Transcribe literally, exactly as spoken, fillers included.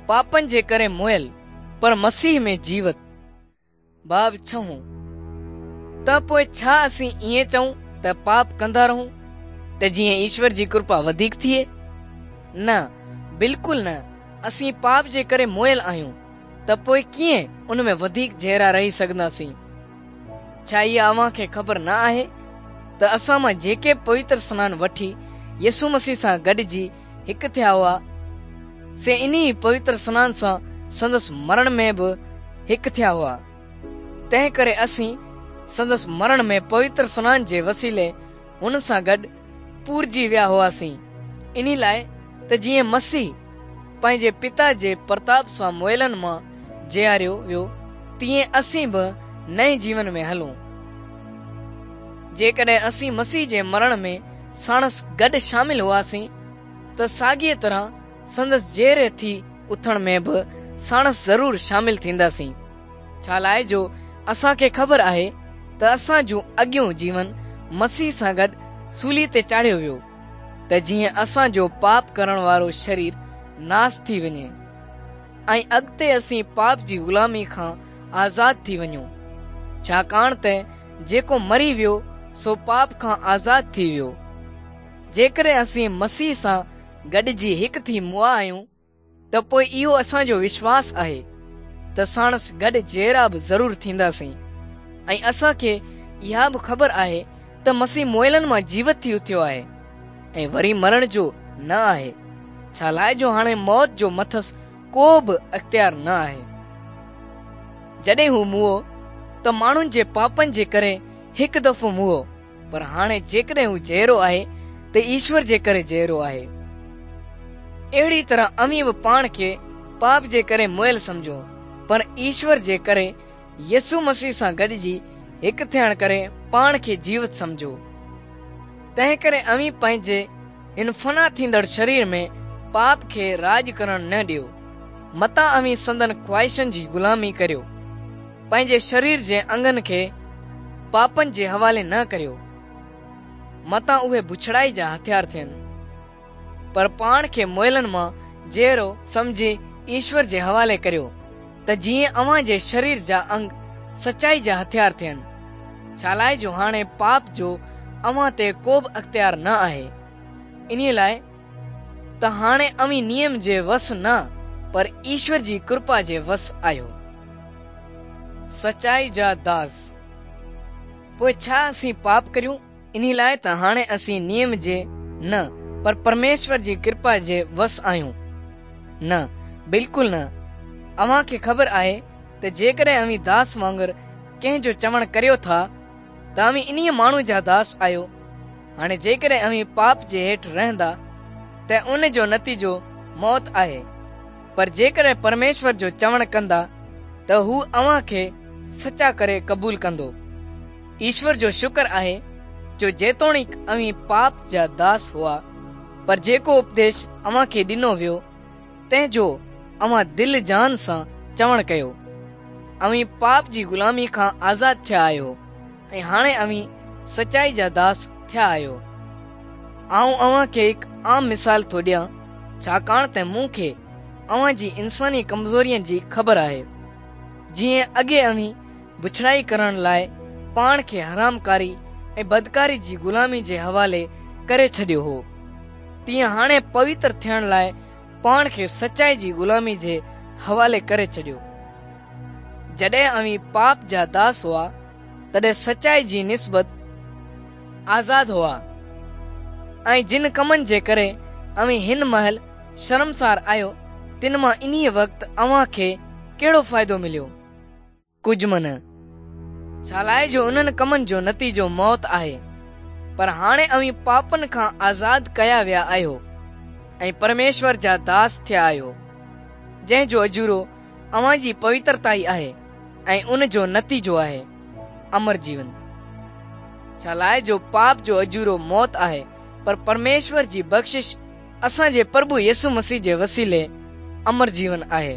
पापनि जे करे मुयल पर मसीह में जीवत। बाब छहों त पोइ छा असीं ईअं चऊं त पाप कंदा रहूं त जीअं ईश्वर जी कृपा वधीक थिए? न, बिल्कुलु न। असीं पाप जे करे मुयल आहियूं त पोइ कीअं उन में वधीक जीअरा रही सघंदासीं? छा इहा अव्हां खे ख़बर न आहे त असां मां जेके पवित्र स्नान वठी यीशु मसीह सां गॾिजी हिकु थिया हुआ, से इन्ही पवित्र स्नान सां संदसि मरण में बि हिकु थिया हुआ? तंहिं करे असीं संदसि मरण में पवित्र स्नान जे वसीले हुन सां गॾु पूरजी विया हुआसीं, इन लाइ त जीअं मसीह पंहिंजे पिता जे प्रताप सां मुयलनि मां जीआरियो वियो, तीअं असीं बि नए जीवन में हलूं। जेकॾहिं असीं मसीह जे मरण में साणसि गॾु शामिल हुआसीं त साॻीअ तरह संदसि जीअरे थी उथण में बि साणसि ज़रूरु शामिल थींदासीं। छा लाइ जो असांखे ख़बर आहे त असांजो अॻियों जीवन मसीह सां गॾु सूली ते चाढ़ियो वियो त जीअं असांजो पाप करण वारो शरीर नास थी वञे ऐं अॻिते असीं पाप जी ग़ुलामी खां आज़ाद थी वञूं। छाकाणि त जेको मरी वियो सो पाप खां आज़ाद थी वियो। जेकॾहिं असीं मसीह सां गॾिजी हिकु थी मुआ आहियूं त पोइ इहो असांजो विश्वास आहे त साणसि गॾु जीअरा बि ज़रूरु थींदासीं। ऐं असांखे इहा बि ख़बर आहे त मसीह मुयलनि मां जीवत थी उथियो आहे ऐं वरी मरण जो न आहे, छा लाइ जो हाणे मौत जो मथसि को बि अख़्तियार न आहे। जॾहिं हू मुओ त माण्हुनि जे पापनि जे करे हिकु दफ़ो मुओ, पर हाणे जेकॾहिं हू जीअरो आहे त ईश्वर जे करे जीअरो आहे। अहिड़ी तरह अव्हीं बि पाण खे पाप जे करे मुयल सम्झो, पर ईश्वर जे करे यीशु मसीह सां गॾिजी हिकु थियण करे पाण खे जीवत सम्झो। तंहिं करे अव्हीं पंहिंजे हिन फना थींदड़ शरीर में पाप खे राज करण न ॾियो, मतां अव्हीं संदन ख़्वाहिशनि जी ग़ुलामी करियो। पंहिंजे शरीर जे अंगनि खे पापनि जे हवाले न करियो, मतां उहे बुछड़ाई जा हथियार थियनि, पर पाण खे मुयलनि मां जीअरो सम्झी ईश्वर जे हवाले करियो त जीअं अव्हां जे शरीर जा अंग सचाई जा हथियार थियनि। छा लाइ जो हाणे पाप जो अव्हां ते को बि अख़्तियार न आहे, इन लाइ त हाणे अव्हीं नियम जे वस न पर ईश्वर जी कृपा जे वस आहियो। सचाई जा दास। पोइ छा असीं पाप करियूं इन लाइ त हाणे असीं नियम जे न पर परमेश्वर जी कृपा जे वस आहियूं? न, बिल्कुलु न। अव्हां खे ख़बर आहे त जेकॾहिं अव्हीं दास वांगुरु कंहिंजो चवणु करियो था त अव्हीं इन्हीअ माण्हू जा दास आहियो। हाणे जेकॾहिं अव्हीं पाप जे हेठि रहंदा त उन जो नतीजो मौत आहे, पर जेकॾहिं परमेश्वर जो चवणु कंदा त हू अव्हां खे सचा करे क़बूल कंदो। ईश्वर जो शुक्र आहे जो जेतोणीक अव्हीं पाप जा दास हुआ, पर जेको उपदेश अव्हां खे ॾिनो वियो तंहिंजो अव्हां दिलि जान सां चवणु कयो। अव्हीं पाप जी ग़ुलामी खां आज़ाद थिया आहियो ऐं हाणे अव्हीं सचाई जा दास थिया आहियो। आउं अव्हां खे हिकु आम मिसाल थो ॾियां, छाकाणि त मूंखे अव्हां जी इंसानी कमज़ोरीअ जी ख़बर आहे। जीअं अॻे अव्हीं बुछड़ाई करण लाइ पाण खे हरामकारी ऐं बदकारी जी ग़ुलामी जे हवाले करे छॾियो हो, तीअं हाणे पवित्र थियण लाइ पाण खे सचाई जी ग़ुलामी जे हवाले करे छॾियो। जॾहिं अव्हीं पाप जा दास हुआ तॾहिं सचाई जी निस्बत आज़ाद हुआ, ऐं जिन कमनि जे करे अव्हीं हिन महिल शर्मसार आहियो तिन मां इन्हीअ वक़्तु अव्हां खे कहिड़ो फ़ाइदो मिलियो? कुझु बि न। छा लाइ जो उन्हनि कमनि जो नतीजो मौत आहे, पर हाणे अव्हीं पापनि खां आज़ाद कया विया आहियो ऐं परमेश्वर जा दास थिया आहियो, जंहिंजो अजूरो अव्हां जी पवित्रता ई आहे ऐं उन जो नतीजो आहे अमर जीवन। छा लाइ जो पाप जो अजूरो मौत आहे, पर परमेश्वर जी बख़्शिश असांजे प्रभु यीशु मसीह जे वसीले अमर जीवन आहे।